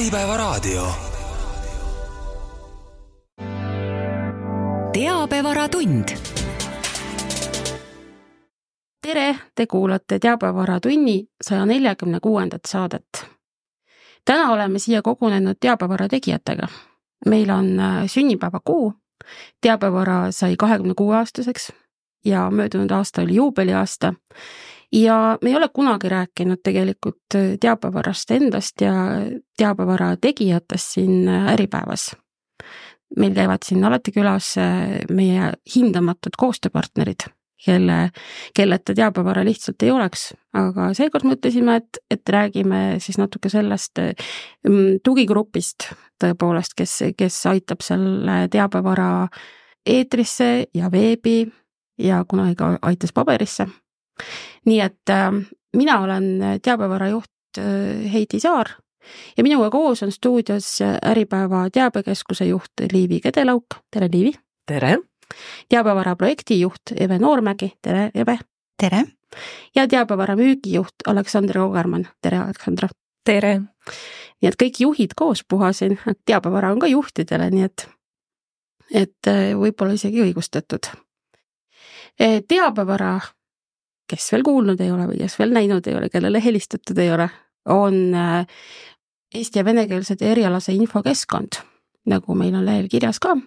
Äripäevaraadio. Teabevaratund. Tere, te kuulate Teabevaраtunni 146. saadet. Täna oleme siia kogunenud teabevara tegijatega. Meil on sünnipäeva kuu. Teabevara sai 26-aastaseks ja möödunud aasta oli juubeliaasta. Ja me ei ole kunagi rääkinud tegelikult teabevarast endast ja teabevara tegijatest siin Äripäevas. Meil käivad siin alati külas meie hindamatud koostööpartnerid, kelleta teabevara lihtsalt ei oleks. Aga seekord mõtlesime, et räägime siis natuke sellest tugigrupist tõepoolest, kes aitab selle teabevara eetrisse ja veebi ja kunagi ka aitas paberisse. Nii et mina olen teabevara juht Heidi Saar ja minuga koos on stuudios Äripäeva teabekeskuse juht Liivi Kedelauk. Tere, Liivi! Tere! Teabevara projekti juht Eve Noormägi. Tere, Eve! Tere! Ja teabevara müügijuht Aleksandra Kogermann. Tere, Aleksandra! Tere! Nii et kõik juhid koos puhasin, teabevara on ka juhtidele, nii et võib-olla isegi õigustatud. Teabevara, kes veel kuulnud ei ole või kes veel näinud ei ole, kellele helistatud ei ole, on eesti- ja venekeelsed erialase infokeskkond, nagu meil on lehel kirjas ka.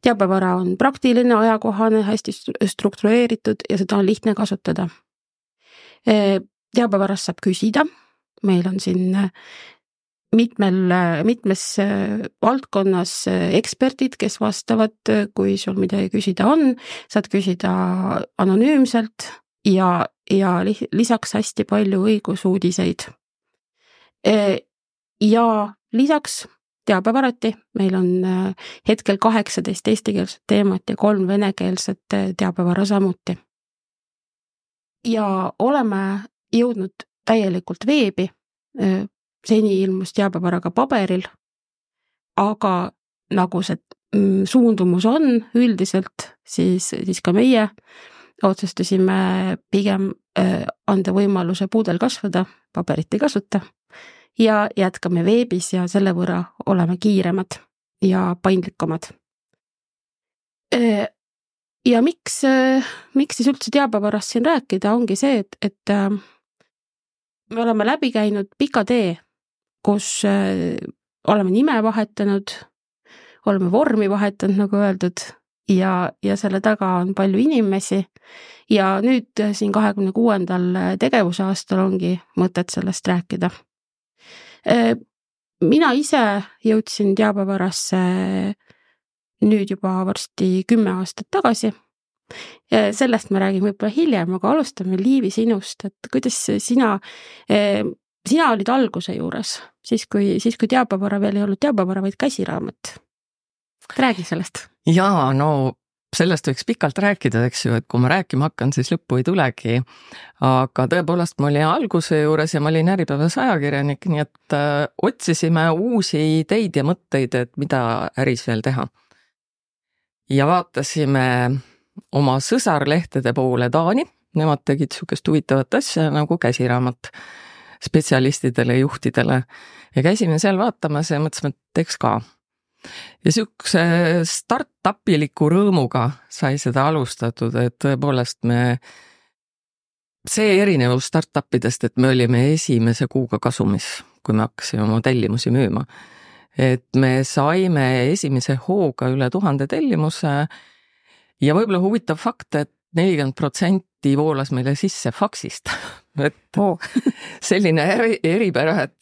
Teabevara on praktiline, ajakohane, hästi struktureeritud ja seda on lihtne kasutada. Teabevarast saab küsida. Meil on siin mitmes valdkonnas eksperdid, kes vastavad, kui sul midagi küsida on. Saad küsida anonüümselt ja lisaks hästi palju õigusuudiseid. Ja lisaks teabevarati meil on hetkel 18 eestikeelset teemat ja 3 venekeelset teabevara samuti. Ja oleme jõudnud täielikult veebi. Seni ilmus teabevaraga paberil, aga nagu see suundumus on üldiselt, siis ka meie otsustasime pigem anda võimaluse puudel kasvada, paberit ei kasuta ja jätkame veebis ja selle võrra oleme kiiremad ja paindlikumad. Ja miks siis üldse teabevarast siin rääkida, ongi see, et me oleme läbi käinud pika tee, kus oleme nime vahetanud, oleme vormi vahetanud, nagu öeldud, ja selle taga on palju inimesi ja nüüd siin 26. tegevusaastal ongi mõtet sellest rääkida. Mina ise jõudsin teabevarasse nüüd juba varsti 10 aastat tagasi. Sellest me räägime võib-olla hiljem, aga alustame Liivi sinust, et kuidas sina olid alguse juures, siis kui teabevara veel ei olnud teabevara, vaid käsiraamat. Räägi sellest. Jaa, no sellest võiks pikalt rääkida, eks ju, et kui ma rääkima hakkan, siis lõppu ei tulegi. Aga tõepoolest ma olin alguse juures ja ma olin Äripäevas ajakirjanik, nii et otsisime uusi ideid ja mõtteid, et mida äris veel teha. Ja vaatasime oma sõsarlehtede poole Taani, nemad tegid sukest huvitavat asja nagu käsiraamat spetsialistidele, juhtidele ja käisime seal vaatamas ja mõtlesime, et teeks ka. Ja sükse start-upiliku rõõmuga sai seda alustatud, et tõepoolest see erinevus start-upidest, et me olime esimese kuuga kasumis, kui me hakkasime oma tellimusi müüma. Et me saime esimese hooga üle 1000 tellimuse ja võib-olla huvitav fakt, et 40% voolas meile sisse faksist. Et selline eripära, et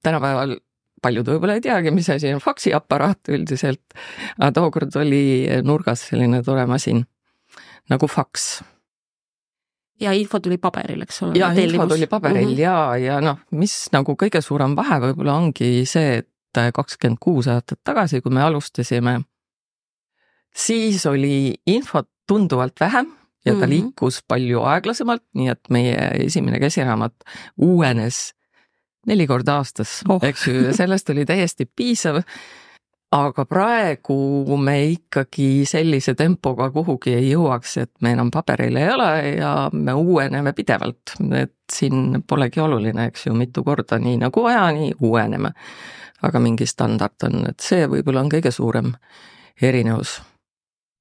tänapäeval paljud võib-olla ei teagi, mis asi on faksiaparaat üldiselt, aga tookord oli nurgas selline tore masin nagu faks. Ja info tuli paberil, eks ole? Ja info tuli paberil ja mis nagu kõige suurem vahe võib-olla ongi see, et 26 aastat tagasi, kui me alustasime, siis oli infot tunduvalt vähem ja ta liikus palju aeglasemalt, nii et meie esimene käsiraamat uuenes 4 korda aastas, eks ju, sellest oli täiesti piisav. aga praegu me ikkagi sellise tempoga kuhugi ei jõuaks, et me enam paberil ei ole ja me uueneme pidevalt, et siin polegi oluline, eks ju, mitu korda nii nagu vaja, nii uueneme. Aga mingi standard on, et see võib-olla on kõige suurem erinevus.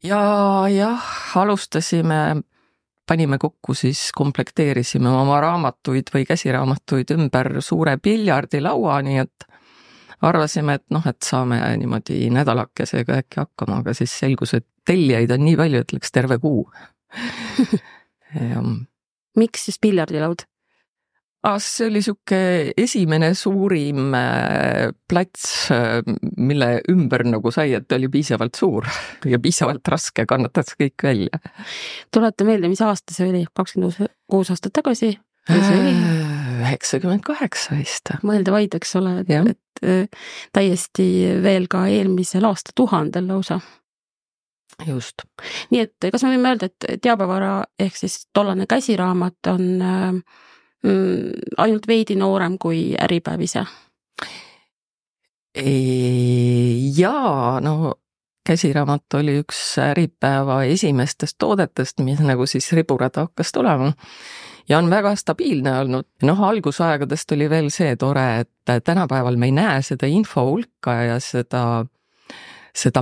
Ja jah, alustasime, panime kokku, siis komplekteerisime oma raamatuid või käsiraamatuid ümber suure piljardilaua, nii et arvasime, et saame niimoodi nädalakesega äkki hakkama, aga siis selgus, et tellijaid on nii palju, et läks terve kuu. Miks siis piljardilaud? See oli siuke esimene suurim plats, mille ümber nagu sai, et oli piisavalt suur ja piisavalt raske, kannatas kõik välja. Tulete meelde, mis aasta see oli? 26 aastat tagasi? 98 vist. Mõelda vaid, eks ole, et täiesti veel ka eelmisel aastatuhandel lausa. Just. Nii et kas me võime öelda, et teabevara ehk siis tollane käsiraamat on ainult veidi noorem kui Äripäev ise? Jaa, käsiraamat oli üks Äripäeva esimestest toodetest, mis nagu siis riburada hakkas tulema. Ja on väga stabiilne olnud. Algusaegadest oli veel see tore, et tänapäeval me ei näe seda info hulka ja seda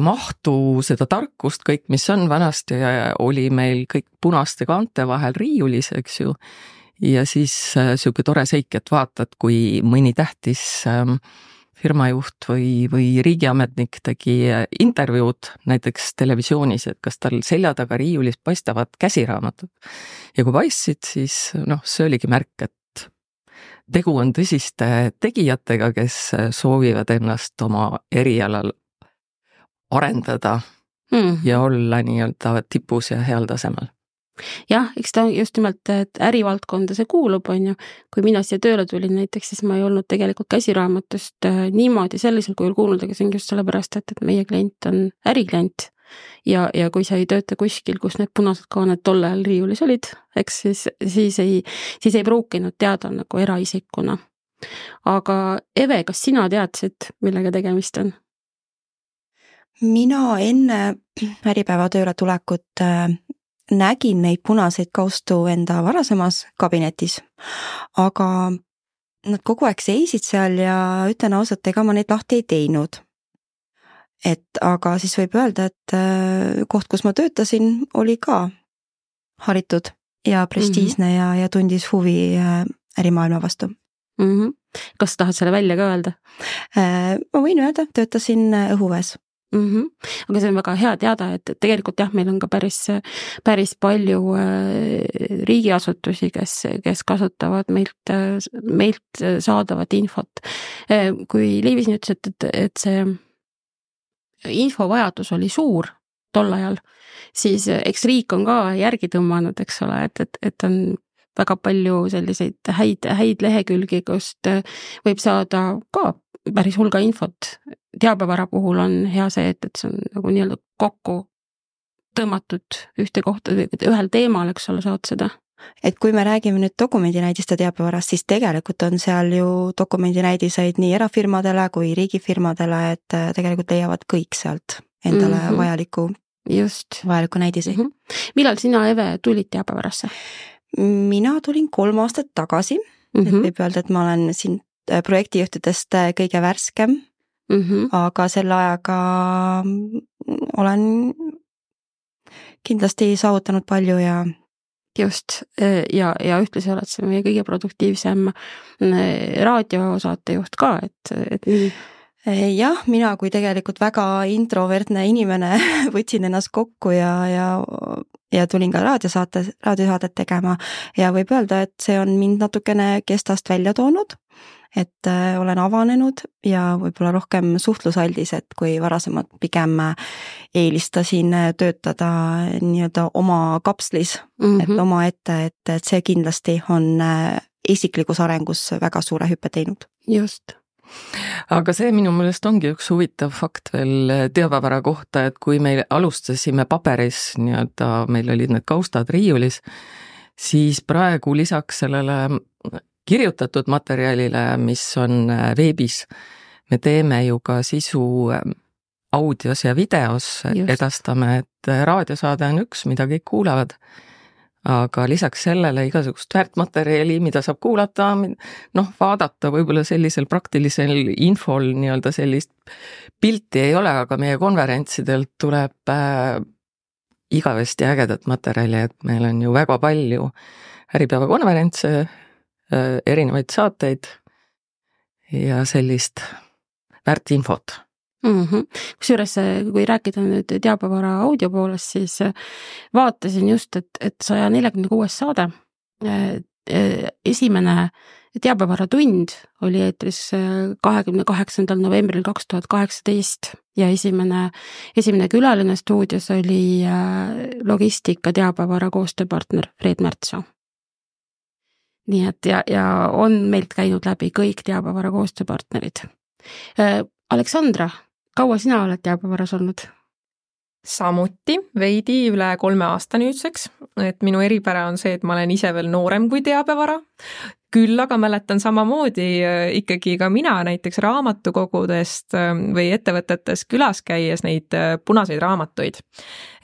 mahtu, seda tarkust, kõik, mis on vanasti, oli meil kõik punaste kaante vahel riiulis, eks ju. Ja siis siuke tore seik, et vaatad, kui mõni tähtis firmajuht või riigiametnik tegi intervjuud näiteks televisioonis, et kas tal selja taga riiulis paistavad käsiraamatud. Ja kui paistsid, siis see oligi märk, et tegu on tõsiste tegijatega, kes soovivad ennast oma erialal arendada ja olla nii-öelda tipus ja heal tasemel. Jah, eks ta just nimelt, et ärivaldkonda see kuulub, on ju. Kui mina siia tööle tulin näiteks, siis ma ei olnud tegelikult käsiraamatust niimoodi sellisel kujul kuulnud, aga see on just sellepärast, et meie klient on äriklient. Ja kui sa ei tööta kuskil, kus need punased kaaned tolle ajal riiulis olid, eks siis ei pruukinud teada nagu eraisikuna. Aga Eve, kas sina teadsid, millega tegemist on? Mina enne Äripäeva tööle tulekut nägin neid punaseid kaustu enda varasemas kabinetis, aga nad kogu aeg seisid seal ja ütlen ausalt, ega ma neid lahti ei teinud. Aga siis võib öelda, et koht, kus ma töötasin, oli ka haritud ja prestiisne ja tundis huvi ärimaailma vastu. Kas tahad selle välja ka öelda? Ma võin öelda, töötasin õhuväes. Aga see on väga hea teada, et tegelikult jah, meil on ka päris palju riigiasutusi, kes kasutavad meilt saadavat infot. Kui Liivis nüüd ütles, et see infovajadus oli suur tol ajal, siis eks riik on ka järgi tõmmanud, eks ole, et on väga palju selliseid häid lehekülgi, kust võib saada ka päris hulga infot. Teabevara puhul on hea see, et see on nagu nii-öelda kokku tõmmatud ühte kohta, ühel teemal, eks ole, saad seda. Et kui me räägime nüüd dokumendinäidiste teabevarast, siis tegelikult on seal ju dokumendinäidiseid nii erafirmadele kui riigifirmadele, et tegelikult leiavad kõik sealt endale vajaliku näidisi. Millal sina, Eve, tulid teabevarasse? Mina tulin 3 aastat tagasi, et võib öelda, et ma olen siin projektijuhtidest kõige värskem, aga selle ajaga olen kindlasti saavutanud palju ja just, ja ühtlasi oled see meie kõige produktiivsem raadiosaatejuht ka, et jah, mina kui tegelikult väga introvertne inimene võtsin ennast kokku ja tulin ka raadiosaadet tegema ja võib öelda, et see on mind natukene kestast välja toonud, et olen avanenud ja võib-olla rohkem suhtlusaldis, et kui varasemalt pigem eelistasin töötada nii-öelda oma kapslis, et oma ette, et see kindlasti on isiklikus arengus väga suure hüppe teinud. Just. Aga see minu meelest ongi üks huvitav fakt veel teabevara kohta, et kui me alustasime paberis, nii-öelda meil olid need kaustad riiulis, siis praegu lisaks sellele kirjutatud materjalile, mis on veebis, me teeme ju ka sisu audios ja videos edastame, et raadiosaade on üks, mida kõik kuulavad. Aga lisaks sellele igasugust väärtmaterjali, mida saab kuulata, vaadata võib-olla sellisel praktilisel infol nii-öelda sellist pilti ei ole, aga meie konverentsidelt tuleb igavesti ägedat materjali, et meil on ju väga palju Äripäeva konverentse, erinevaid saateid ja sellist väärtinfot. Kusjuures, kui rääkida nüüd teabevara audio poolest, siis vaatasin just, et 146 saade, esimene teabevara tund oli eetris 28. novembril 2018 ja esimene külaline stuudios oli logistika teabevara koostööpartner Fred Märtsoo. Nii et ja on meilt käinud läbi kõik teabevara koostööpartnerid. Aleksandra, kaua sina oled teabevaras olnud? Samuti veidi üle 3 aasta nüüdseks, et minu eripära on see, et ma olen ise veel noorem kui teabevara. Küll aga mäletan samamoodi ikkagi ka mina näiteks raamatukogudest või ettevõtetes külas käies neid punaseid raamatuid.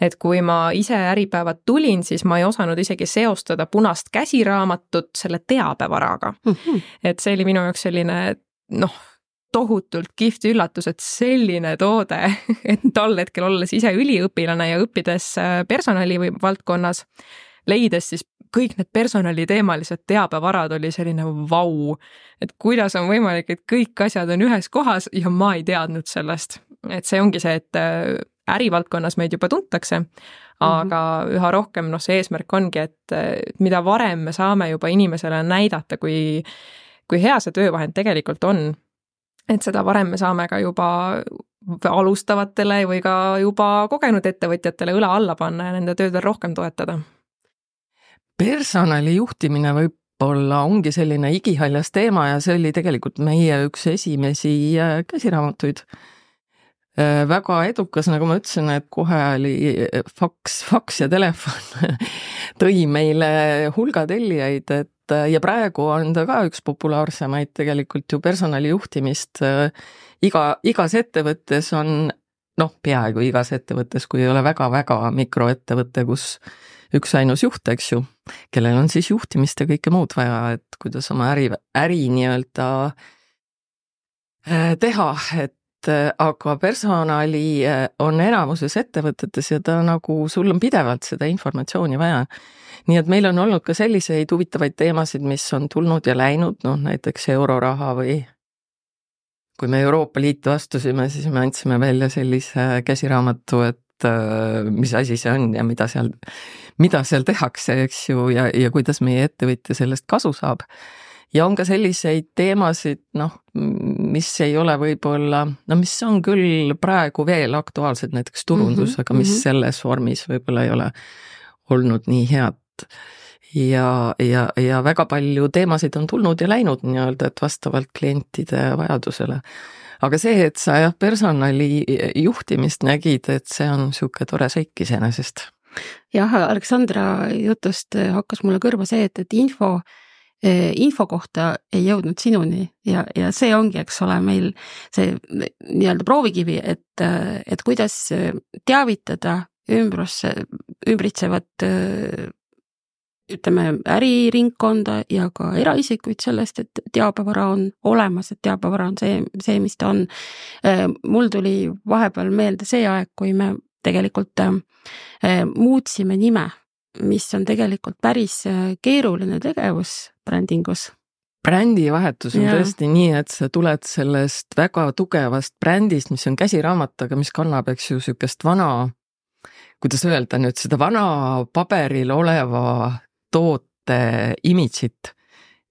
Et kui ma ise Äripäevad tulin, siis ma ei osanud isegi seostada punast käsiraamatut selle teabevaraga. Et see oli minu jaoks selline, tohutult kihvt üllatus, et selline toode, et tol hetkel olles ise üliõpilane ja õppides personali või valdkonnas, leides siis kõik need personaliteemalised teabevarad oli selline vau, et kuidas on võimalik, et kõik asjad on ühes kohas ja ma ei teadnud sellest. Et see ongi see, et ärivaldkonnas meid juba tuntakse, aga üha rohkem see eesmärk ongi, et mida varem me saame juba inimesele näidata, kui hea see töövahend tegelikult on, et seda varem me saame ka juba alustavatele või ka juba kogenud ettevõtjatele õla alla panna ja nende tööd rohkem toetada. Personali juhtimine võib-olla ongi selline igihaljas teema ja see oli tegelikult meie üks esimesi käsiraamatuid. Väga edukas, nagu ma ütlesin, et kohe oli faks ja telefon tõi meile hulga tellijaid, ja praegu on ta ka üks populaarsemaid tegelikult ju personali juhtimist. Igas ettevõttes on, peaaegu igas ettevõttes, kui ei ole väga-väga mikroettevõte, kus üks ainus juht, eks ju, kellel on siis juhtimist ja kõike muud vaja, et kuidas oma äri nii-öelda teha, aga personali on enamuses ettevõtetes ja ta sul on pidevalt seda informatsiooni vaja. Nii et meil on olnud ka selliseid huvitavaid teemasid, mis on tulnud ja läinud, näiteks euroraha või kui me Euroopa Liitu astusime, siis me andsime välja sellise käsiraamatu, et mis asi see on ja mida seal tehakse, eks ju, ja kuidas meie ettevõtja sellest kasu saab. Ja on ka selliseid teemasid, mis ei ole võib-olla, mis on küll praegu veel aktuaalsed, näiteks turundus, aga mis selles vormis võib-olla ei ole olnud nii head. Ja väga palju teemasid on tulnud ja läinud nii-öelda, et vastavalt klientide vajadusele. Aga see, et sa personali juhtimist nägid, et see on niisugune tore seik iseenesest. Jah, Aleksandra jutust hakkas mulle kõrva see, et info kohta ei jõudnud sinuni ja see ongi, eks ole, meil see nii-öelda proovikivi, et kuidas teavitada ümbritsevat äriringkonda ja ka eraisikuid sellest, et teabevara on olemas, et teabevara on see, mis ta on. Mul tuli vahepeal meelde see aeg, kui me tegelikult muutsime nime, mis on tegelikult päris keeruline tegevus brändingus. Brändivahetus on tõesti nii, et sa tuled sellest väga tugevast brändist, mis on käsiraamat, aga mis kannab, eks ju, sükest vana, kuidas öelda nüüd, seda vana paberil oleva toote imidžit.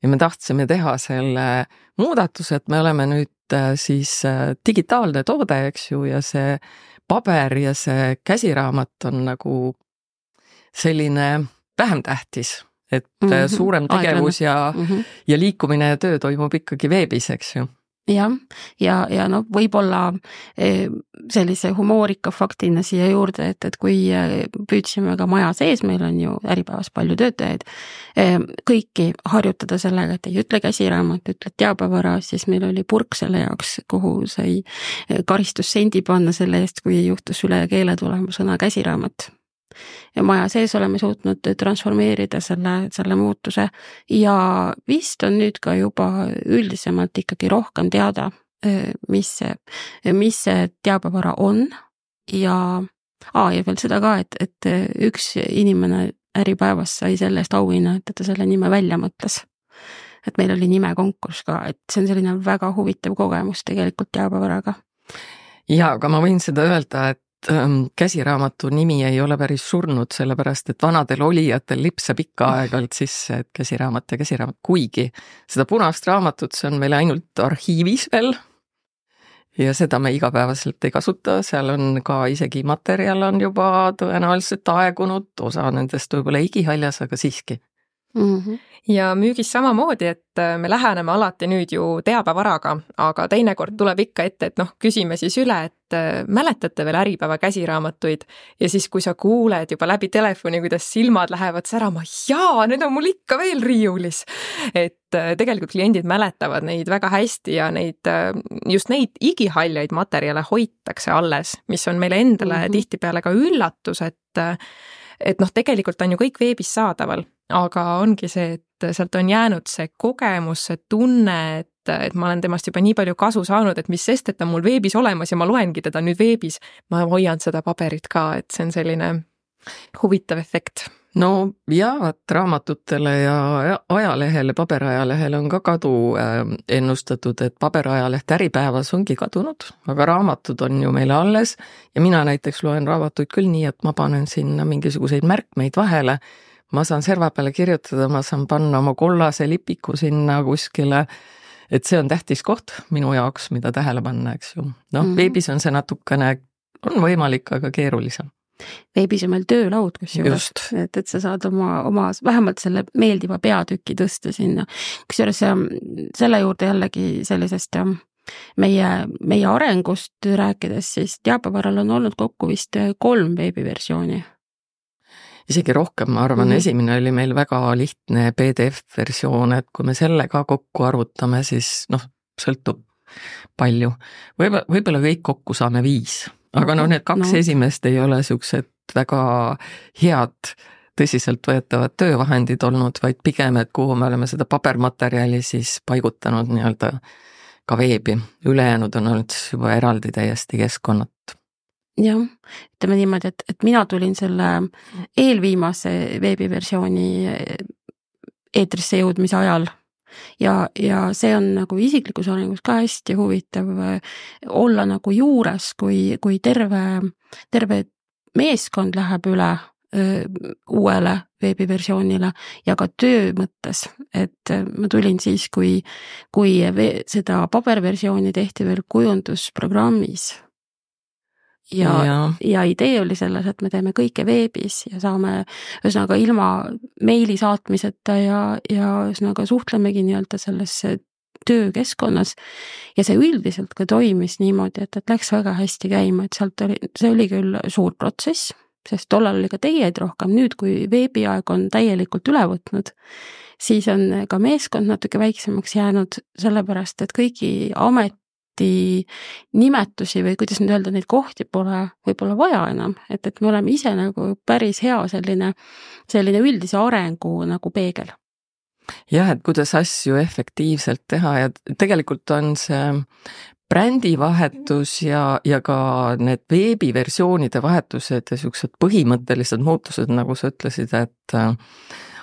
Ja me tahtsime teha selle muudatuse, et me oleme nüüd siis digitaalne toode, eks ju, ja see paber ja see käsiraamat on nagu selline vähem tähtis, et suurem tegevus ja liikumine ja töö toimub ikkagi veebis, eks ju. jah, ja no võib-olla sellise humoorika faktina siia juurde, et kui püüdsime ka maja sees, meil on ju Äripäevas palju töötajaid, kõiki harjutada sellega, et ei ütle käsiraamat, ütled teabevara, siis meil oli purk selle jaoks, kuhu sai karistussendi panna selle eest, kui juhtus üle keele tulema sõna käsiraamat. Ja maja sees oleme suutnud transformeerida selle muutuse ja vist on nüüd ka juba üldisemalt ikkagi rohkem teada, mis see teabevara on ja veel seda ka, et üks inimene Äripäevas sai selle eest auhinna, et ta selle nime välja mõtles. Et meil oli nimekonkurss ka, et see on selline väga huvitav kogemus tegelikult teabevaraga. Ja, aga ma võin seda öelda, et käsiraamatu nimi ei ole päris surnud, sellepärast et vanadel olijatel lipsab ikka aeg-ajalt sisse, et käsiraamat, kuigi seda punast raamatut, see on meil ainult arhiivis veel ja seda me igapäevaselt ei kasuta, seal on ka isegi materjal on juba tõenäoliselt aegunud, osa nendest võib-olla igihaljas, aga siiski. Ja müügis samamoodi, et me läheneme alati nüüd ju teabevaraga, aga teinekord tuleb ikka ette, et küsime siis üle, et mäletate veel Äripäeva käsiraamatuid ja siis, kui sa kuuled juba läbi telefoni, kuidas silmad lähevad särama, need on mul ikka veel riiulis. Et tegelikult kliendid mäletavad neid väga hästi ja just neid igihaljaid materjale hoitakse alles, mis on meile endale tihtipeale ka üllatus, et tegelikult on ju kõik veebis saadaval, aga ongi see, et sealt on jäänud see kogemus, see tunne, et ma olen temast juba nii palju kasu saanud, et mis sest, et ta on mul veebis olemas ja ma loengi teda nüüd veebis, ma hoian seda paberit ka, et see on selline huvitav efekt. No jaa, raamatutele ja ajalehele, paberajalehele on ka kadu ennustatud, et paberajaleht Äripäevas ongi kadunud, aga raamatud on ju meile alles ja mina näiteks loen raamatuid küll nii, et ma panen sinna mingisuguseid märkmeid vahele, ma saan serva peale kirjutada, ma saan panna oma kollase lipiku sinna kuskile, et see on tähtis koht minu jaoks, mida tähele panna, eks ju. Veebis on see natukene, on võimalik, aga keerulisem. Veebis on meil töölaud kusjuures, et sa saad oma vähemalt selle meeldiva peatüki tõsta sinna. Kusjuures selle juurde jällegi sellisest meie arengust rääkides, siis teabevaral on olnud kokku vist 3 veebiversiooni. Isegi rohkem, ma arvan, esimene oli meil väga lihtne PDF-versioon, et kui me selle ka kokku arvutame, siis sõltub palju. Võib-olla kõik kokku saame 5. Aga need 2 esimest ei ole siuksed väga head, tõsiselt võetavad töövahendid olnud, vaid pigem, et kuhu me oleme seda pabermaterjali siis paigutanud nii-öelda ka veebi. Ülejäänud on olnud juba eraldi täiesti keskkonnat. Jah, ütleme niimoodi, et mina tulin selle eelviimase veebiversiooni eetrisse jõudmise ajal. Ja see on nagu isiklikus arengus ka hästi huvitav olla nagu juures, kui terve meeskond läheb üle uuele veebiversioonile ja ka töö mõttes, et ma tulin siis, kui seda paberversiooni tehti veel kujundusprogrammis. Ja idee oli selles, et me teeme kõike veebis ja saame ühesõnaga ilma meili saatmiseta ja ühesõnaga suhtlemegi nii-öelda selles töökeskkonnas ja see üldiselt ka toimis niimoodi, et läks väga hästi käima, et see oli küll suur protsess, sest tollal oli ka tegijaid rohkem, nüüd kui veebiaeg on täielikult üle võtnud, siis on ka meeskond natuke väiksemaks jäänud, sellepärast et kõigi nimetusi või kuidas nüüd öelda, neid kohti pole võib-olla vaja enam, et me oleme ise nagu päris hea selline üldise arengu nagu peegel. Jah, et kuidas asju efektiivselt teha ja tegelikult on see brändivahetus ja ka need veebiversioonide vahetused ja siuksed põhimõttelised muutused, nagu sa ütlesid, et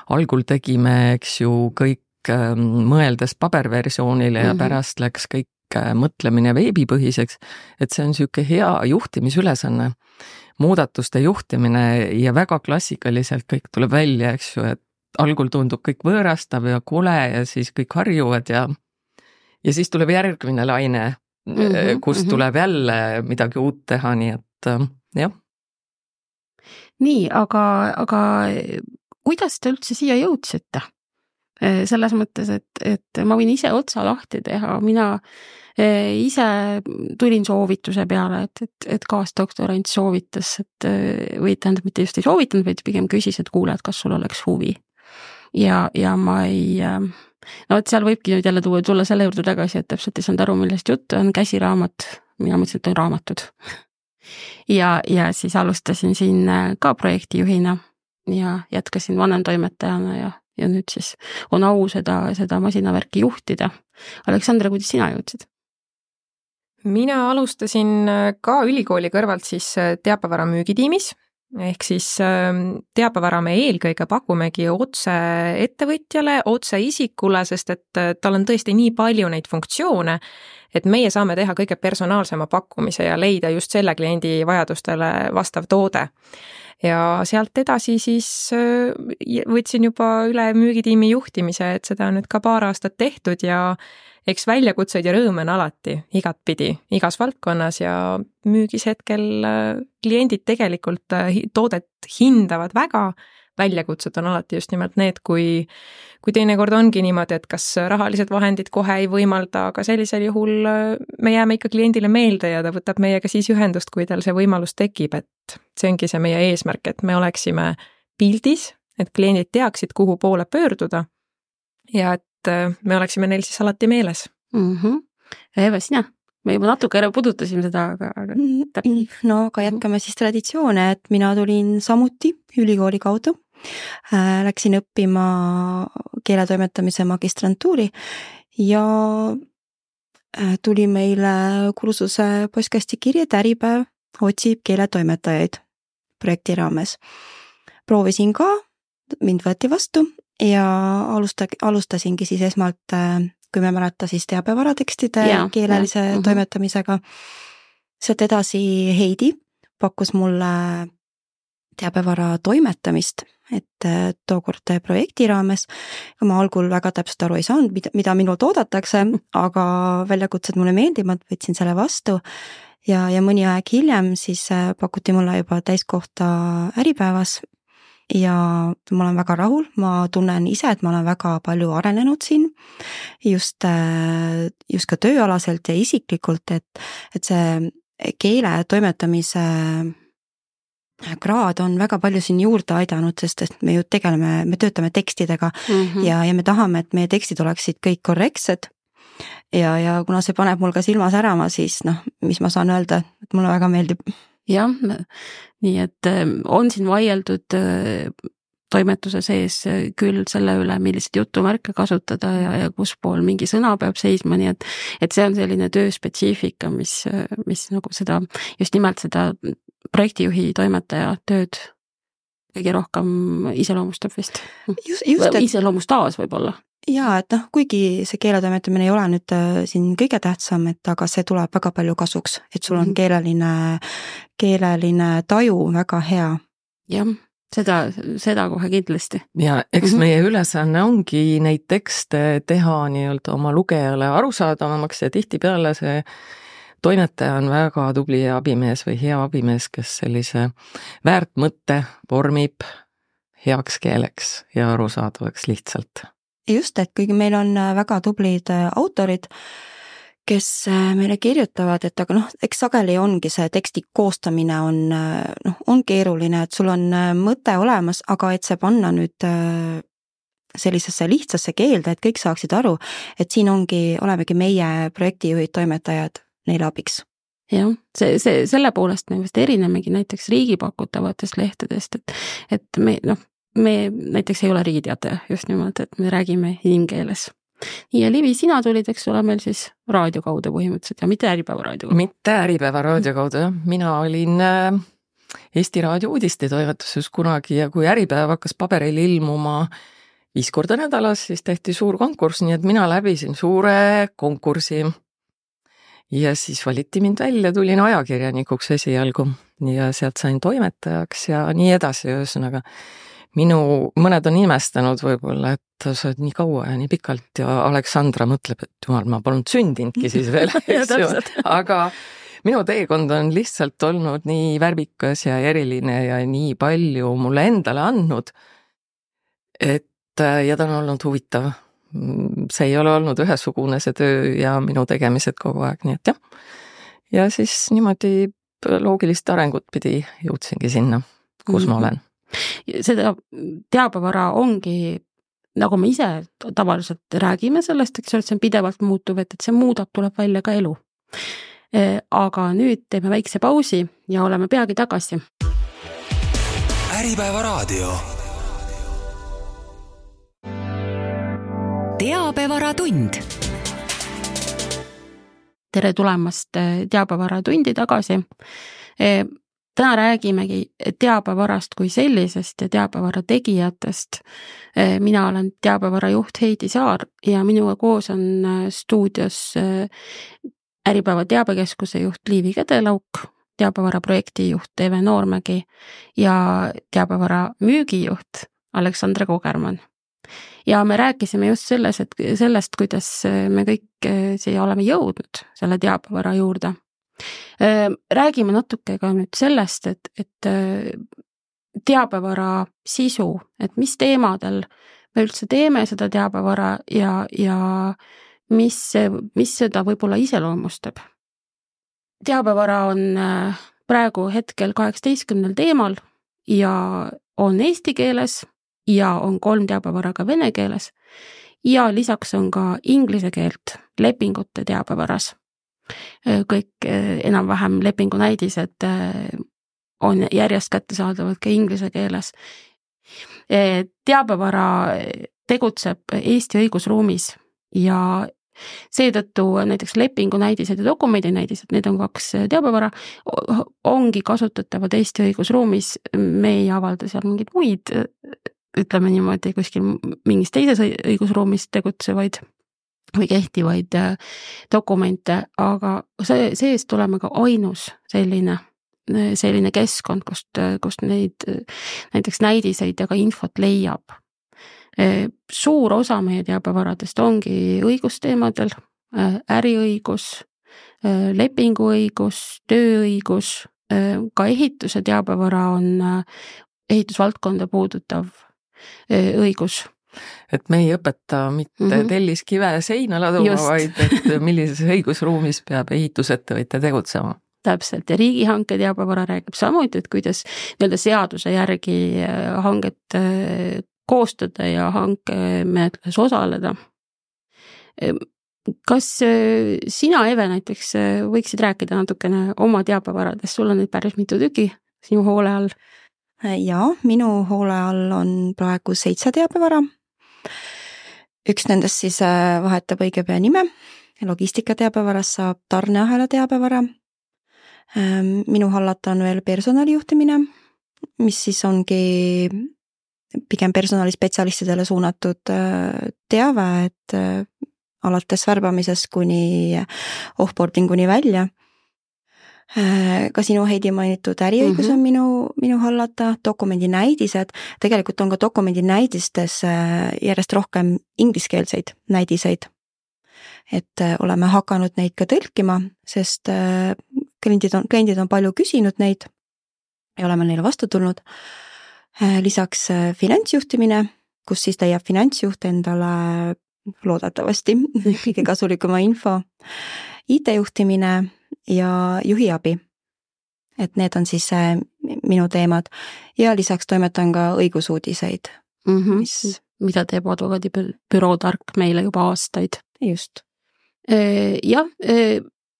algul tegime, eks ju, kõik mõeldes paberversioonile ja pärast läks kõik mõtlemine veebipõhiseks, et see on siuke hea juhtimisülesanne, muudatuste juhtimine ja väga klassikaliselt kõik tuleb välja, eks ju, et algul tundub kõik võõrastav ja kole ja siis kõik harjuvad ja siis tuleb järgmine laine, kus tuleb jälle midagi uut teha, nii et jah. Nii, aga kuidas te üldse siia jõudsite? selles mõttes, et ma võin ise otsa lahti teha, mina ise tulin soovituse peale, et kaasdoktorant soovitas, või tähendab, mitte just ei soovitanud, vaid pigem küsis, et kuule, et kas sul oleks huvi. Ja ma ei, no et seal võibki nüüd jälle tulla selle juurde tagasi, et täpselt ei saanud aru, millest juttu on käsiraamat, mina mõtlesin, et on raamatud. Ja siis alustasin siin ka projektijuhina ja jätkasin vanemtoimetajana ja nüüd siis on au seda masinavärki juhtida. Aleksandra, kuidas sina jõudsid? Mina alustasin ka ülikooli kõrvalt siis teabevara müügitiimis, ehk siis teabevara me eelkõige pakumegi otse ettevõtjale, otse isikule, sest et tal on tõesti nii palju neid funktsioone, et meie saame teha kõige personaalsema pakkumise ja leida just selle kliendi vajadustele vastav toode. Ja sealt edasi siis võtsin juba üle müügitiimi juhtimise, et seda on nüüd ka paar aastat tehtud ja eks väljakutseid ja rõõme on alati igatpidi, igas valdkonnas ja müügis hetkel kliendid tegelikult toodet hindavad väga, väljakutsed on alati just nimelt need, kui teinekord ongi niimoodi, et kas rahalised vahendid kohe ei võimalda, aga sellisel juhul me jääme ikka kliendile meelde ja ta võtab meiega siis ühendust, kui tal see võimalus tekib, et see ongi see meie eesmärk, et me oleksime pildis, et kliendid teaksid, kuhu poole pöörduda ja et me oleksime neil siis alati meeles. Eva, sina? Me juba natuke ära pudutasime seda, aga no aga jätkame siis traditsioone, et mina tulin samuti ülikooli kaudu. Läksin õppima keeletoimetamise magistrantuuri ja tuli meile kursuse postkasti kirja, et Äripäev otsib keeletoimetajaid projekti raames. Proovisin ka, mind võeti vastu ja alustasingi siis esmalt, kui me mäleta, siis teabevaratekstide keelelise toimetamisega. Sealt edasi Heidi pakkus mulle teabevara toimetamist, et tookord projekti raames. Ma algul väga täpselt aru ei saanud, mida minult oodatakse, aga väljakutsed mulle meeldivad, võtsin selle vastu ja mõni aeg hiljem siis pakuti mulle juba täiskohta Äripäevas. Ja ma olen väga rahul, ma tunnen ise, et ma olen väga palju arenenud siin, just ka tööalaselt ja isiklikult, et see keele toimetamise kraad on väga palju siin juurde aidanud, sest et me ju me töötame tekstidega ja me tahame, et meie tekstid oleksid kõik korrektsed. Ja kuna see paneb mul ka silma särama, siis mis ma saan öelda, et mulle väga meeldib. Jah, nii et on siin vaieldud toimetuse sees küll selle üle, milliseid jutumärke kasutada ja kus pool mingi sõna peab seisma, nii et see on selline tööspetsiifika, mis nagu seda, just nimelt seda projektijuhi toimetaja tööd kõige rohkem iseloomustab vist. Iseloomustaas võib-olla. Jaa, et kuigi see keeletoimetamine ei ole nüüd siin kõige tähtsam, et aga see tuleb väga palju kasuks, et sul on keeleline taju väga hea. Jah, seda kohe kindlasti. Ja eks meie ülesanne ongi neid tekste teha nii-öelda oma lugejale arusaadavamaks ja tihtipeale see toimetaja on väga tubli abimees või hea abimees, kes sellise väärtmõtte vormib heaks keeleks ja arusaadavaks lihtsalt. Just, et kuigi meil on väga tublid autorid, kes meile kirjutavad, et aga eks sageli ongi see teksti koostamine on keeruline, et sul on mõte olemas, aga et see panna nüüd sellisesse lihtsasse keelde, et kõik saaksid aru, et siin olemegi meie projektijuhid, toimetajad neile abiks. Jah, selle poolest me vist erinemegi näiteks riigi pakutavatest lehtedest, et me näiteks ei ole riigiteataja just nimelt, et me räägime inimkeeles. Ja Livi, sina tulid, eks ole, meil siis raadio kaudu põhimõtteliselt ja mitte Äripäeva raadio kaudu. Mitte Äripäeva raadio kaudu, jah. Mina olin Eesti Raadio uudistetoimetuses kunagi ja kui Äripäev hakkas paberil ilmuma 5 korda nädalas, siis tehti suur konkurss, nii et mina läbisin suure konkursi. Ja siis valiti mind välja, tulin ajakirjanikuks esialgu ja sealt sain toimetajaks ja nii edasi, ühesõnaga. Mõned on imestanud võib-olla, et sa oled nii kaua ja nii pikalt ja Aleksandra mõtleb, et jumal, ma polnud sündinudki siis veel. Aga minu teekond on lihtsalt olnud nii värvikas ja eriline ja nii palju mulle endale andnud, et ja ta on olnud huvitav. See ei ole olnud ühesugune see töö ja minu tegemised kogu aeg, nii et jah. Ja siis niimoodi loogilist arengut pidi jõudsingi sinna, kus ma olen. Seda teabevara ongi, nagu me ise tavaliselt räägime sellest, eks ole, et see on pidevalt muutuv, et see muudab, tuleb välja ka elu. Aga nüüd teeme väikse pausi ja oleme peagi tagasi. Äripäeva raadio. Teabevaratund. Tere tulemast teabevara-tundi tagasi. Täna räägimegi teabevarast kui sellisest ja teabevara tegijatest. Mina olen teabevara juht Heidi Saar ja minuga koos on stuudios Äripäeva teabekeskuse juht Liivi Kedelauk, teabevara projektijuht Eve Noormägi ja teabevara müügijuht Aleksandra Kogerman. Ja me rääkisime just sellest, kuidas me kõik siia oleme jõudnud selle teabevara juurde. Räägime natuke ka nüüd sellest, et teabevara sisu, et mis teemadel me üldse teeme seda teabevara ja mis seda võib-olla iseloomustab. Teabevara on praegu hetkel 18 teemal ja on eesti keeles ja on 3 teabevara ka vene keeles ja lisaks on ka inglise keelt lepingute teabevaras. Kõik enam-vähem lepingunäidised on järjest kättesaadavad ka inglise keeles. Teabevara tegutseb Eesti õigusruumis ja seetõttu näiteks lepingunäidised ja dokumendinäidised, need on 2 teabevara, ongi kasutatavad Eesti õigusruumis, me ei avalda seal mingeid muid, ütleme niimoodi, kuskil mingis teises õigusruumis tegutsevaid või kehtivaid dokumente, aga seest tuleme ka ainus selline keskkond, kust neid näiteks näidiseid ja ka infot leiab. Suur osa meie teabevaradest ongi õigusteemadel, äriõigus, lepinguõigus, tööõigus, ka ehituse teabevara on ehitusvaldkonda puudutav õigus. Et me ei õpeta mitte telliskive seina laduma, vaid et millises õigusruumis peab ehitusettevõtja tegutsema. Täpselt, ja riigihanke teabevara räägib samuti, et kuidas seaduse järgi hanget koostada ja hankemenetluses osaleda. Kas sina, Eve, näiteks võiksid rääkida natukene oma teabevaradest, sul on nüüd päris mitu tüki sinu hoole all? Ja, minu hoole all on praegu 7 teabevara. Üks nendest siis vahetab õige pea nime. Logistika teabevarast saab tarneahela teabevara. Minu hallata on veel personalijuhtimine, mis siis ongi pigem personalispetsialistidele suunatud teave, et alates värbamisest kuni offboardinguni välja. Ka sinu Heidi mainitud äriõigus on minu hallata, dokumendinäidised, tegelikult on ka dokumendinäidistes järjest rohkem ingliskeelseid näidiseid, et oleme hakanud neid ka tõlkima, sest kliendid on palju küsinud neid ja oleme neile vastu tulnud. Lisaks finantsjuhtimine, kus siis leiab finantsjuht endale loodetavasti kõige kasulikuma info, IT-juhtimine ja juhiabi. Et need on siis minu teemad ja lisaks toimetan ka õigusuudiseid. Mida teeb advokaadibüroo Tark meile juba aastaid. Just. Jah,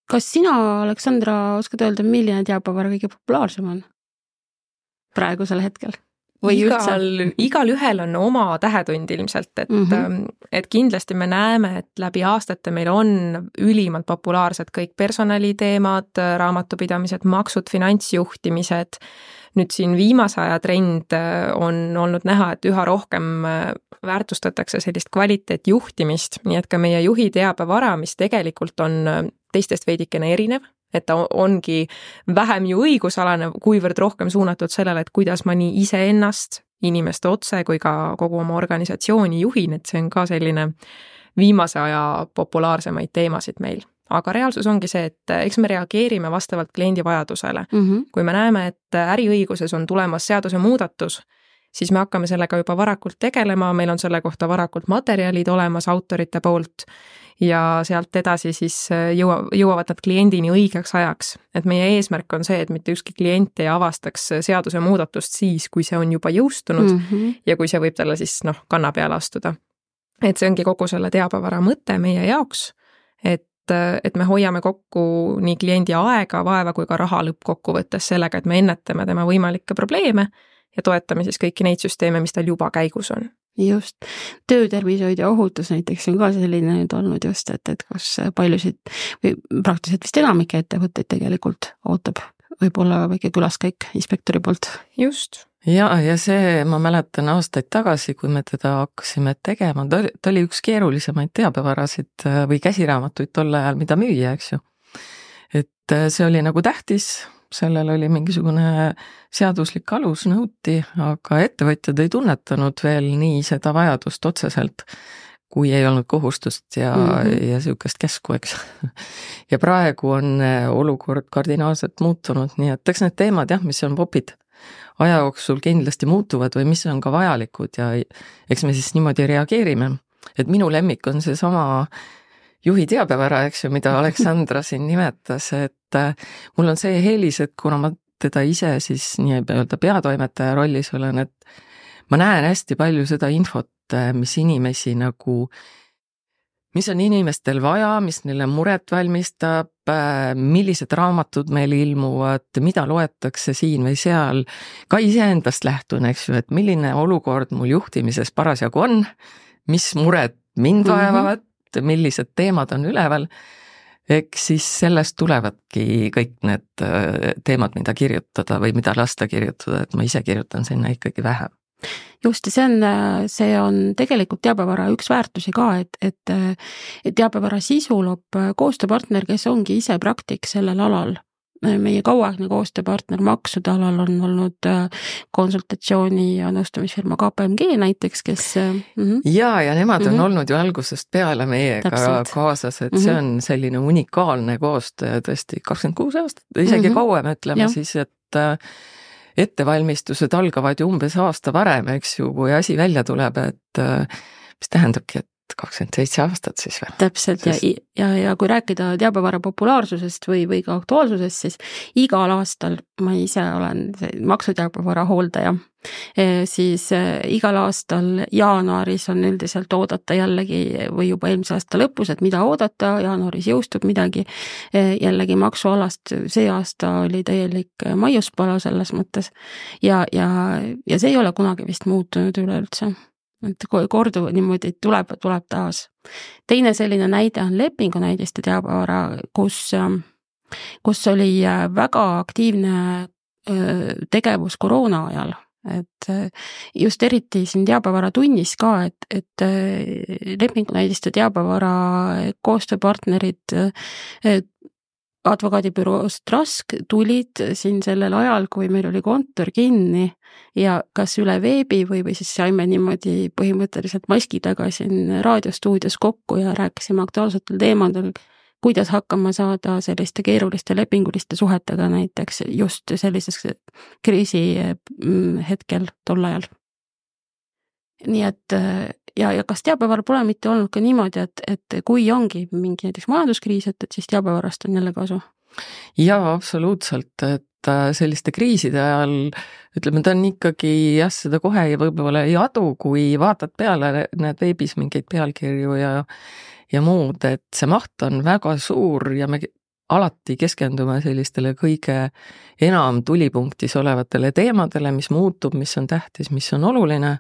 kas sina, Aleksandra, oskad öelda, milline teabevara kõige populaarsem on praegusel hetkel? Igal ühel on oma tähetund ilmselt, et kindlasti me näeme, et läbi aastate meil on ülimalt populaarsed kõik personaliteemad, raamatupidamised, maksud, finantsjuhtimised. Nüüd siin viimase aja trend on olnud näha, et üha rohkem väärtustatakse sellist kvaliteetjuhtimist, nii et ka meie juhi teabevara, mis tegelikult on teistest veidikene erinev, et ta ongi vähem ju õigusalane, kuivõrd rohkem suunatud sellele, et kuidas ma nii iseennast, inimeste otse kui ka kogu oma organisatsiooni juhin, et see on ka selline viimase aja populaarsemaid teemasid meil. Aga reaalsus ongi see, et eks me reageerime vastavalt kliendi vajadusele. Kui me näeme, et äriõiguses on tulemas seaduse muudatus, siis me hakkame sellega juba varakult tegelema, meil on selle kohta varakult materjalid olemas autorite poolt ja sealt edasi siis jõuavad nad kliendini õigeks ajaks. Et meie eesmärk on see, et mitte ükski klient ei avastaks seaduse muudatust siis, kui see on juba jõustunud ja kui see võib talle siis kanna peale astuda. Et see ongi kogu selle teabevara mõte meie jaoks, et me hoiame kokku nii kliendi aega, vaeva kui ka raha lõppkokkuvõttes sellega, et me ennetame tema võimalikke probleeme ja toetame siis kõiki neid süsteeme, mis tal juba käigus on. Just. Töötervishoid ja ohutus näiteks on ka selline nüüd olnud just, et kus paljusid või praktiliselt vist enamike ettevõtteid tegelikult ootab võib-olla väike külaskäik inspektori poolt. Just. Ja see, ma mäletan aastaid tagasi, kui me teda hakkasime tegema, ta oli üks keerulisemaid teabevarasid või käsiraamatuid tol ajal, mida müüa, eks ju. Et see oli nagu tähtis, sellel oli mingisugune seaduslik alus nõuti, aga ettevõtjad ei tunnetanud veel nii seda vajadust otseselt, kui ei olnud kohustust ja sihukest käsku, eks. Ja praegu on olukord kardinaalselt muutunud, nii et eks need teemad, mis on popid aja jooksul kindlasti muutuvad või mis on ka vajalikud ja eks me siis niimoodi reageerime. Et minu lemmik on see sama juhi teabevara, eks ju, mida Aleksandra siin nimetas, et mul on see eelis, et kuna ma teda ise siis nii-öelda peatoimetaja rollis olen, et ma näen hästi palju seda infot, mis inimesi nagu, mis on inimestel vaja, mis neile muret valmistab, millised raamatud meil ilmuvad, mida loetakse siin või seal, ka iseendast lähtun, eks ju, et milline olukord mul juhtimises parasjagu on, mis mured mind vaevavad, millised teemad on üleval, eks siis sellest tulevadki kõik need teemad, mida kirjutada või mida lasta kirjutada, et ma ise kirjutan sinna ikkagi vähem. Just, see on tegelikult teabevara üks väärtusi ka, et teabevara sisu loob koostööpartner, kes ongi ise praktik sellel alal. Meie kauaaegne koostööpartner maksude alal on olnud konsultatsiooni ja nõustamisfirma KPMG näiteks, kes... Ja nemad on olnud ju algusest peale meiega kaasas, et see on selline unikaalne koostöö tõesti 26 aastat, isegi kauem ütleme siis, et ettevalmistused algavad ju umbes aasta varem, eks ju, kui asi välja tuleb, et mis tähendabki, et 27 aastat siis või? Täpselt ja kui rääkida teabevara populaarsusest või ka aktuaalsusest, siis igal aastal ma ise olen maksuteabevara hooldaja, siis igal aastal jaanuaris on üldiselt oodata jällegi või juba eelmise aasta lõpus, et mida oodata, jaanuaris jõustub midagi, jällegi maksualast see aasta oli täielik maiuspala selles mõttes ja see ei ole kunagi vist muutunud üleüldse. Et kordu niimoodi tuleb taas. Teine selline näide on lepingunäidiste teabevara, kus oli väga aktiivne tegevus koroona ajal. Et just eriti siin teabevara tunnis ka, et lepingunäidiste teabevara koostööpartnerid advokaadibüroost Rask tulid siin sellel ajal, kui meil oli kontor kinni ja kas üle veebi või siis saime niimoodi põhimõtteliselt maski taga siin raadiostuudios kokku ja rääkisime aktuaalsetel teemadel, kuidas hakkama saada selliste keeruliste lepinguliste suhetega näiteks just sellises kriisi hetkel tol ajal. Nii et ja kas teabevara pole mitte olnud ka niimoodi, et kui ongi mingi näiteks majanduskriis, et siis teabevarast on jälle kasu? Jaa, absoluutselt, et selliste kriiside ajal, ütleme, ta on ikkagi seda kohe ja võib-olla ei adu, kui vaatad peale, näed veebis mingeid pealkirju ja muud, et see maht on väga suur ja me alati keskendume sellistele kõige enam tulipunktis olevatele teemadele, mis muutub, mis on tähtis, mis on oluline.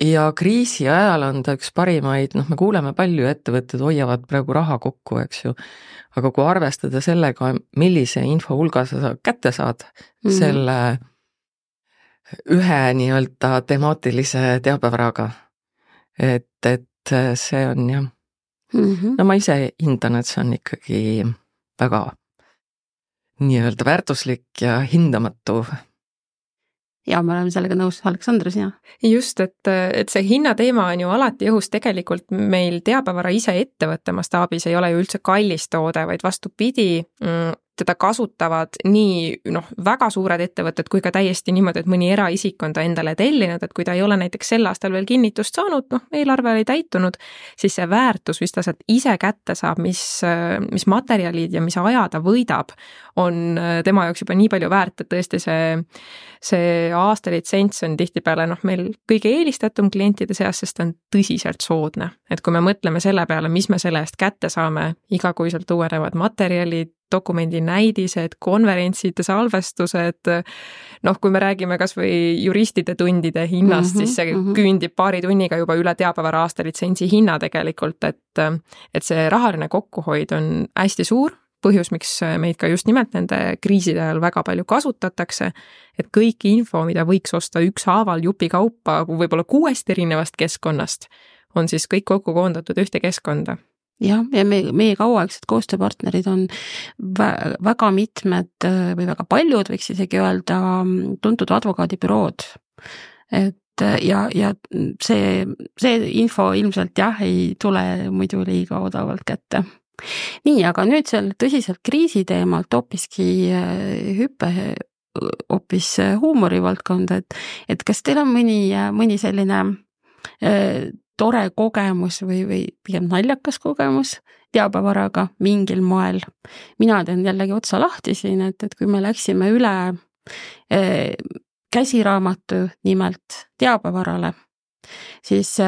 Ja kriisi ajal on ta üks parimaid, me kuuleme palju, ettevõtted hoiavad praegu raha kokku, eks ju, aga kui arvestada sellega, millise info hulga sa kätte saad selle ühe nii-öelda temaatilise teabevaraga, et see on jah, no ma ise hindan, et see on ikkagi väga nii-öelda väärtuslik ja hindamatu. Ja me oleme sellega nõus, Aleksandra, sina? Just, et see hinnateema on ju alati õhus, tegelikult meil teabevara ise ettevõtte mastaabis ei ole ju üldse kallis toode, vaid vastupidi, teda kasutavad nii väga suured ettevõtted kui ka täiesti niimoodi, et mõni eraisik on ta endale tellinud, et kui ta ei ole näiteks sel aastal veel kinnitust saanud, eelarve ei täitunud, siis see väärtus, mis ta sealt ise kätte saab, mis materjalid ja mis aja ta võidab, on tema jaoks juba nii palju väärt, et tõesti see aastalitsents on tihtipeale meil kõige eelistatum klientide seas, sest ta on tõsiselt soodne. Et kui me mõtleme selle peale, mis me selle eest kätte saame, igakuiselt uuenevad materjalid, dokumendi näidised, konverentsid, salvestused, kui me räägime kas või juristide tundide hinnast, siis see küündib paari tunniga juba üle teabevara aastalitsentsi hinna tegelikult, et see rahaline kokkuhoid on hästi suur, põhjus, miks meid ka just nimelt nende kriiside ajal väga palju kasutatakse, et kõik info, mida võiks osta ükshaaval jupi kaupa, võib-olla 6 erinevast keskkonnast, on siis kõik kokku koondatud ühte keskkonda. Jah, ja meie kauaaegsed koostööpartnerid on väga mitmed või väga paljud, võiks isegi öelda, tuntud advokaadibürood. Et ja see info ilmselt ei tule muidu liiga odavalt kätte. Nii, aga nüüd seal tõsiselt kriisi teemalt hoopiski hüppe hoopis huumorivaldkonda, et kas teil on mõni selline tore kogemus või pigem naljakas kogemus teabevaraga mingil moel. Mina teen jällegi otsa lahti siin, et kui me läksime üle käsiraamatu nimelt teabevarale, siis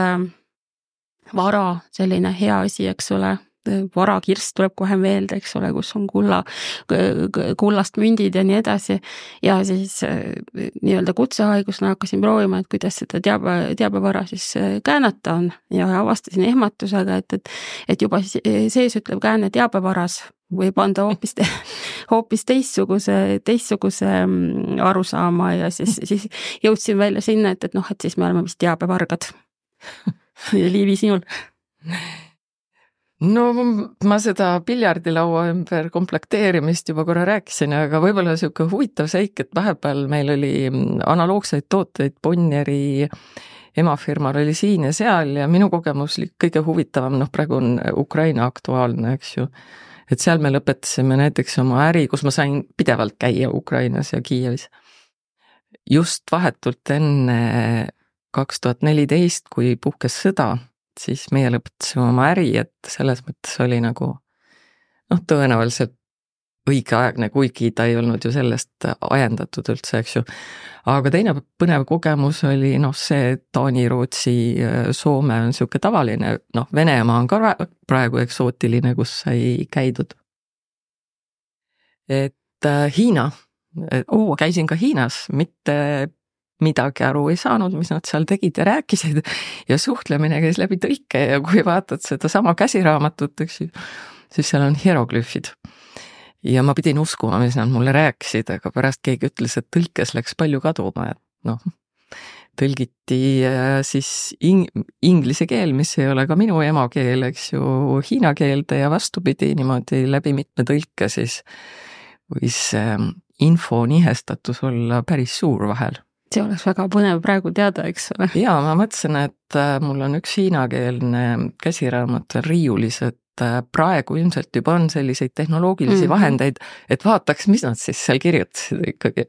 vara selline hea asi, eks ole, varakirst tuleb kohe meelde, eks ole, kus on kullast mündid ja nii edasi. Ja siis nii-öelda kutsehaigusena hakkasin proovima, et kuidas seda teabevara siis käänata on ja avastasin ehmatusega, et juba sees ütleb kääne teabevaras võib anda hoopis teistsuguse arusaama ja siis jõudsin välja sinna, et siis me oleme vist teabevargad. Liivi, sinul? No ma seda piljardilaua ümber komplekteerimist juba korra rääkisin, aga võib-olla siuke huvitav seik, et vahepeal meil oli analoogseid tooteid, Bonnieri emafirmal oli siin ja seal ja minu kogemus oli kõige huvitavam, praegu on Ukraina aktuaalne, eks ju. Et seal me lõpetasime näiteks oma äri, kus ma sain pidevalt käia Ukrainas ja Kiievis. Just vahetult enne 2014, kui puhkes sõda, siis meie lõpetasime oma äri, et selles mõttes oli tõenäoliselt õigeaegne, kuigi ta ei olnud ju sellest ajendatud üldse, eks ju. Aga teine põnev kogemus oli see, et Taani, Rootsi, Soome on siuke tavaline, Venemaa on ka praegu eksootiline, kus sai käidud. Et Hiina, käisin ka Hiinas, mitte midagi aru ei saanud, mis nad seal tegid ja rääkisid ja suhtlemine käis läbi tõlke ja kui vaatad seda sama käsiraamatut, siis seal on hieroglüüfid. Ja ma pidin uskuma, mis nad mulle rääkisid, aga pärast keegi ütles, et tõlkes läks palju kaduma, et tõlgiti siis inglise keel, mis ei ole ka minu emakeel, eks ju, hiina keelde ja vastupidi niimoodi läbi mitme tõlke, siis võis info nihestatus olla päris suur vahel. See oleks väga põnev praegu teada, eks ole. Jaa, ma mõtlesin, et mul on üks hiinakeelne käsiraamat riiulis, et praegu ilmselt juba on selliseid tehnoloogilisi vahendeid, et vaataks, mis nad siis seal kirjutasid ikkagi.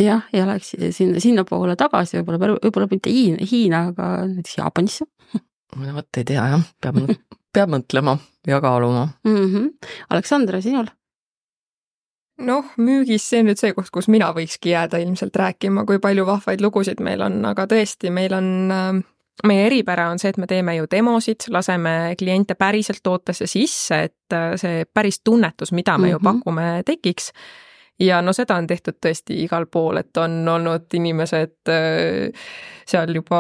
Jah, ja läks sinna poole tagasi, võib-olla mitte Hiina, aga näiteks Jaapanisse. Võt ei tea, jah, peab mõtlema ja kaaluma. Aleksandra, sinul? Müügis see nüüd see koht, kus mina võikski jääda ilmselt rääkima, kui palju vahvaid lugusid meil on, aga tõesti, meie eripära on see, et me teeme ju demosid, laseme kliente päriselt tootesse sisse, et see päris tunnetus, mida me ju pakume, tekiks. Ja seda on tehtud tõesti igal pool, et on olnud inimesed seal juba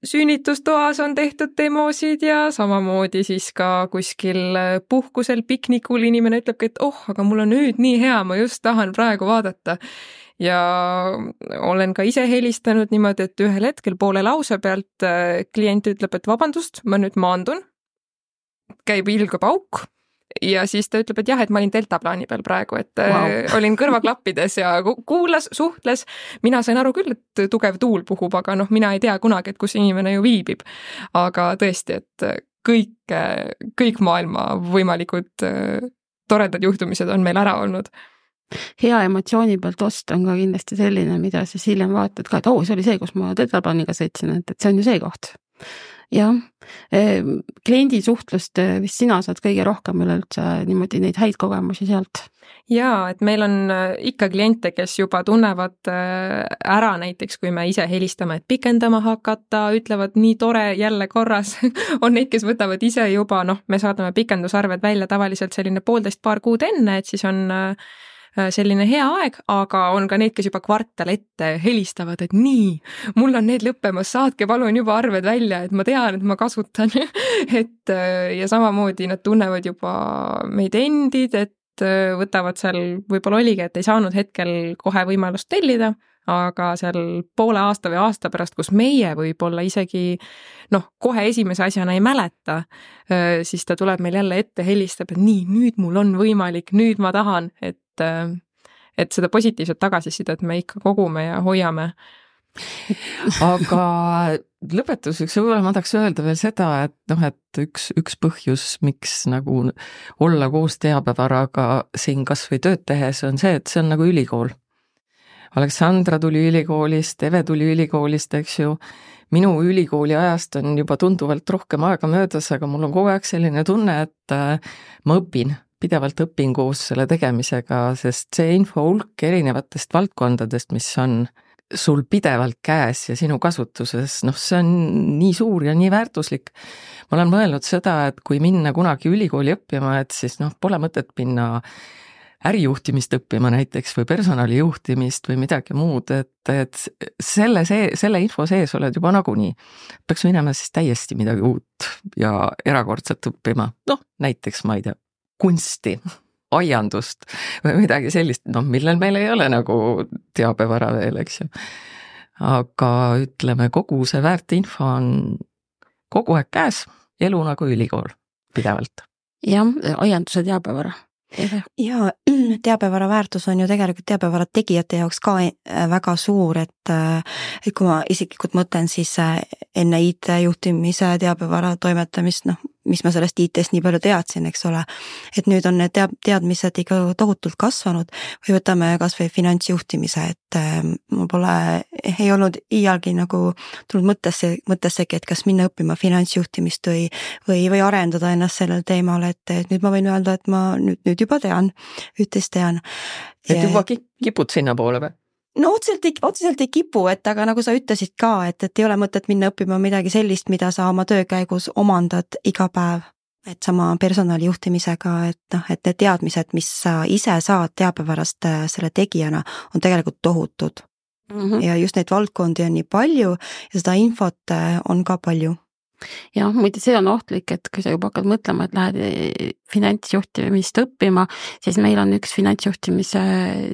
sünnitustoas on tehtud demosid ja samamoodi siis ka kuskil puhkusel piknikul inimene ütlebki, et aga mul on nüüd nii hea, ma just tahan praegu vaadata. Ja olen ka ise helistanud niimoodi, et ühel hetkel poole lause pealt klient ütleb, et vabandust, ma nüüd maandun, käib ilge pauk. Ja siis ta ütleb, et jah, et ma olin deltaplaani peal praegu, et olin kõrvaklappides ja kuulas, suhtles. Mina sain aru küll, et tugev tuul puhub, aga mina ei tea kunagi, et kus inimene ju viibib. Aga tõesti, et kõik maailma võimalikud toredad juhtumised on meil ära olnud. Hea emotsiooni pealt ost on ka kindlasti selline, mida siis hiljem vaatad ka, et see oli see, kus ma tetraplaniga sõitsin, et see on ju see koht. Jah, kliendi suhtlust vist sina saad kõige rohkem üleüldse niimoodi neid häid kogemusi sealt. Jaa, et meil on ikka kliente, kes juba tunnevad ära näiteks, kui me ise helistame, et pikendama hakata, ütlevad nii tore, jälle korras. On neid, kes võtavad ise juba, me saadame pikendusarved välja tavaliselt selline 1,5–2 kuud enne, et siis on selline hea aeg, aga on ka need, kes juba kvartal ette helistavad, et nii, mul on need lõppemas, saatke palun juba arved välja, et ma tean, et ma kasutan. Ja samamoodi nad tunnevad juba meid endid, et võtavad seal, võib-olla oligi, et ei saanud hetkel kohe võimalust tellida, aga seal poole aasta või aasta pärast, kus meie võib-olla isegi kohe esimese asjana ei mäleta, siis ta tuleb meil jälle ette, helistab, et nii, nüüd mul on võimalik, nüüd ma tahan, et seda positiivset tagasisidet me ikka kogume ja hoiame. Aga lõpetuseks võib-olla ma tahaks öelda veel seda, et üks põhjus, miks nagu olla koos teabevaraga siin kas või tööd tehes on see, et see on nagu ülikool. Aleksandra tuli ülikoolist, Eve tuli ülikoolist, eks ju. Minu ülikooli ajast on juba tunduvalt rohkem aega möödas, aga mul on kogu aeg selline tunne, et ma pidevalt õpin koos selle tegemisega, sest see info hulk erinevatest valdkondadest, mis on sul pidevalt käes ja sinu kasutuses, see on nii suur ja nii väärtuslik. Ma olen mõelnud seda, et kui minna kunagi ülikooli õppima, et siis pole mõtet minna ärijuhtimist õppima näiteks või personalijuhtimist või midagi muud, et selle info sees oled juba nagunii. Peaks minema siis täiesti midagi uut ja erakordselt õppima. Näiteks, ma ei tea, kunsti, aiandust või midagi sellist, millel meil ei ole nagu teabevara veel, eks ju. Aga ütleme, kogu see väärtinfo on kogu aeg käes, elu nagu ülikool pidevalt. Jah, aianduse teabevara. Ja teabevara väärtus on ju tegelikult teabevara tegijate jaoks ka väga suur, et kui ma isiklikult mõtlen siis enne IT-juhtimise teabevara toimetamist, mis ma sellest IT-st nii palju teadsin, eks ole, et nüüd on need teadmised ikka tohutult kasvanud või võtame kas või finantsjuhtimise, et mul ei olnud iialgi nagu tulnud mõttessegi, et kas minna õppima finantsjuhtimist või arendada ennast sellel teemal, et nüüd ma võin öelda, et ma nüüd juba tean, üht-teist tean. Et juba kipud sinna poole või? Otseselt ei kipu, et aga nagu sa ütlesid ka, et ei ole mõtet minna õppima midagi sellist, mida sa oma töö käigus omandad iga päev. Et sama personalijuhtimisega, et need teadmised, mis sa ise saad teabevarast selle tegijana, on tegelikult tohutud. Ja just neid valdkondi on nii palju ja seda infot on ka palju. Jah, muide see on ohtlik, et kui sa juba hakkad mõtlema, et lähed finantsjuhtimist õppima, siis meil on üks finantsjuhtimise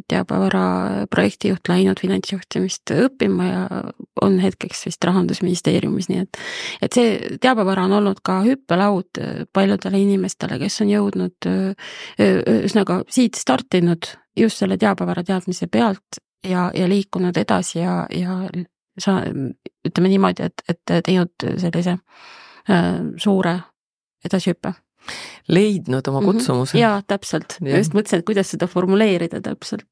teabevara projektijuht läinud finantsjuhtimist õppima ja on hetkeks vist Rahandusministeeriumis, nii et see teabevara on olnud ka hüppelaud paljudele inimestele, kes on jõudnud üsnaga siit startinud just selle teabevara teadmise pealt ja liikunud edasi ja sa ütleme niimoodi, et teinud sellise suure edasihüppe. Leidnud oma kutsumuse. Jaa, täpselt. Just mõtlesin, et kuidas seda formuleerida täpselt.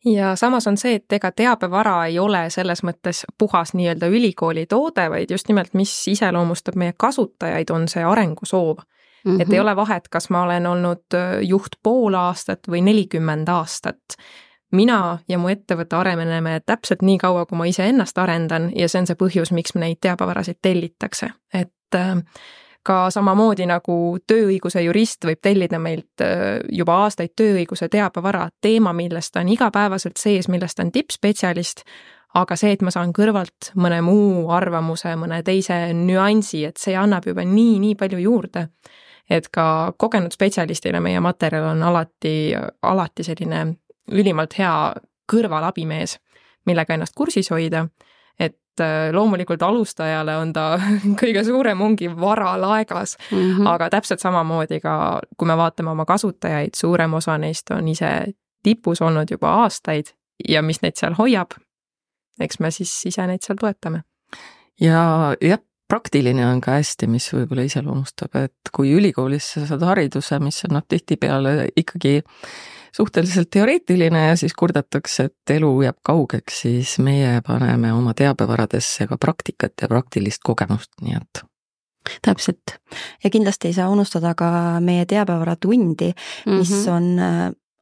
Ja samas on see, et ega teabevara ei ole selles mõttes puhas nii-öelda ülikooli toode, vaid just nimelt, mis iseloomustab meie kasutajaid, on see arengusoov. Et ei ole vahet, kas ma olen olnud juht pool aastat või 40 aastat. Mina ja mu ettevõtte areneme täpselt nii kaua, kui ma ise ennast arendan ja see on see põhjus, miks me neid teabevarasid tellitakse. Et ka samamoodi nagu tööõiguse jurist võib tellida meilt juba aastaid tööõiguse teabevara teema, millest on igapäevaselt sees, millest on tippspetsialist, aga see, et ma saan kõrvalt mõne muu arvamuse, mõne teise nüansi, et see annab juba nii palju juurde. Et ka kogenud spetsialistile meie materjal on alati selline ülimalt hea kõrvalabimees, millega ennast kursis hoida, et loomulikult alustajale on ta kõige suurem ongi vara laegas, aga täpselt samamoodi ka, kui me vaatame oma kasutajaid, suurem osa neist on ise tipus olnud juba aastaid ja mis neid seal hoiab, eks me siis ise neid seal toetame. Ja praktiline on ka hästi, mis võib-olla iseloomustab, et kui ülikoolis sa saad hariduse, mis on tihtipeale ikkagi suhteliselt teoreetiline ja siis kurdetakse, et elu jääb kaugeks, siis meie paneme oma teabevaradesse ka praktikat ja praktilist kogemust, nii et täpselt. Ja kindlasti ei saa unustada ka meie teabevaratundi, mis on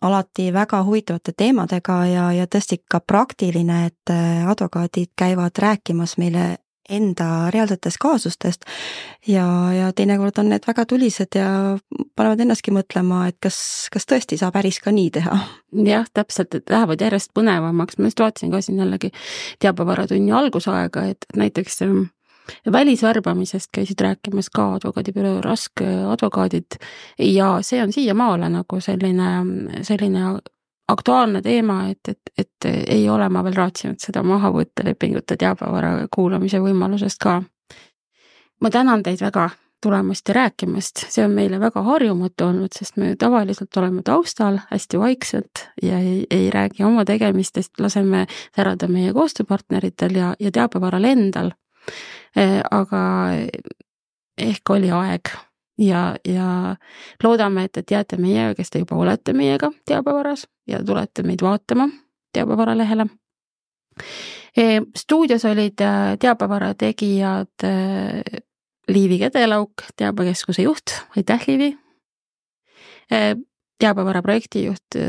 alati väga huvitavate teemadega ja tõesti ka praktiline, et advokaadid käivad rääkimas meile enda reaalsetest kaasustest ja teinekord on need väga tulised ja panevad ennastki mõtlema, et kas tõesti saab päris ka nii teha. Jah, täpselt, et lähevad järjest põnevamaks. Ma just vaatasin ka siin jällegi teabevaratunni algusaega, et näiteks välisvärbamisest käisid rääkimas ka advokaadibüroo Rask advokaadid ja see on siiamaale nagu selline aktuaalne teema, et ei ole ma veel raatsinud seda maha võtta lepingute teabevara kuulamise võimalusest ka. Ma tänan teid väga tulemast ja rääkimast, see on meile väga harjumatu olnud, sest me tavaliselt oleme taustal hästi vaikselt ja ei räägi oma tegemistest, laseme särada meie koostööpartneritel ja teabevaral endal. Aga ehk oli aeg ja loodame, et jääte meiega, kes te juba olete meiega teabevaras ja tulete meid vaatama teabevara lehele. Stuudios olid teabevara tegijad Liivi Kedelauk, teabekeskuse juht, aitäh Liivi, teabevara projektijuht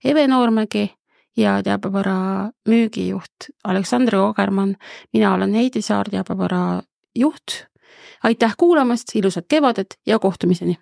Eve Noormägi ja teabevara müügijuht Aleksandr Ogerman. Mina olen Heidi Saar, teabevara juht. Aitäh kuulamast, ilusat kevadet ja kohtumiseni!